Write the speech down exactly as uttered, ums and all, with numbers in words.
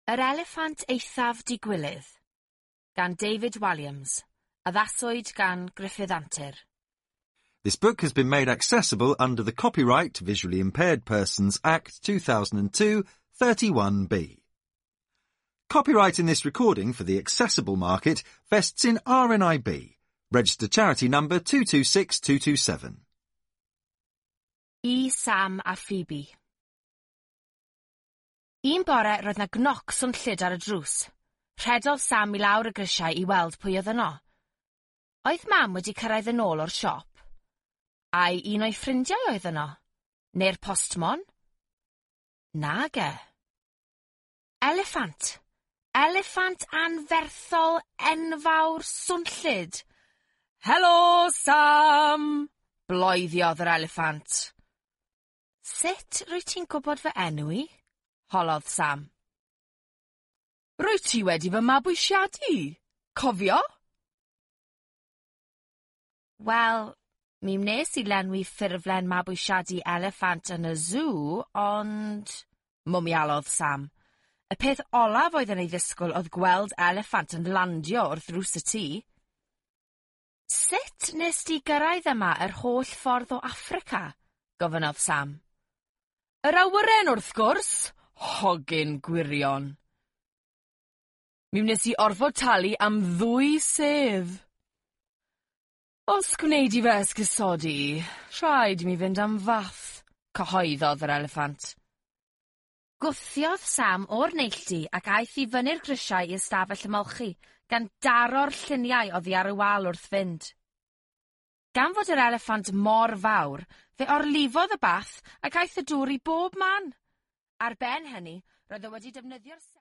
Yr Eliffant Eithaf Digwilydd gan David Walliams. Addaswyd gan Gruffudd Antur. This book has been made accessible under the Copyright Visually Impaired Persons Act two thousand two, thirty-one B. Copyright in this recording for the accessible market vests in R N I B, registered charity number two two six two two seven. I Sam a Phoebe. Un bore roedd 'na gnoc swnllyd ar y drws. Rhedodd Sam i lawr y grisiau i weld pwy oedd yno. Oedd Mam wedi cyrraedd yn ôl o'r siop? Ai un o'i ffrindiau oedd yno? Neu'r postmon? Nage. Eliffant. Eliffant anferthol enfawr swnllyd. "Helo, Sam!" bloeddiodd yr eliffant. "Sut rwyt ti'n gwybod fy enw i?" holodd Sam. "Rwyt ti wedi fy mabwysiadu, cofio?" "Wel, mi wnes i lenwi ffurflen mabwysiadu eliffant yn y sŵ, ond..." mwmialodd Sam. Y peth olaf oedd yn ei ddisgwyl oedd gweld eliffant yn landio wrth ddrws y tŷ. "Sut nes di gyrraedd yma yr holl ffordd o Affrica?" gofynnodd Sam. "Yr awyren wrth gwrs, hogyn gwirion. Mi wnes i orfod talu am ddwy sedd. Os gwnei di fy esgusodi, rhaid i mi fynd am fath," cyhoeddodd yr eliffant. Gwthiodd Sam o'r neilltu ac aeth i fyny'r grisiau i ystafell ymolchi, gan daro'r lluniau oddi ar y wal wrth fynd. Gan fod yr eliffant mor fawr, fe orlifodd y bath ac aeth y dŵr i bob man. Ar ben hynny, roedd o wedi defnyddio'r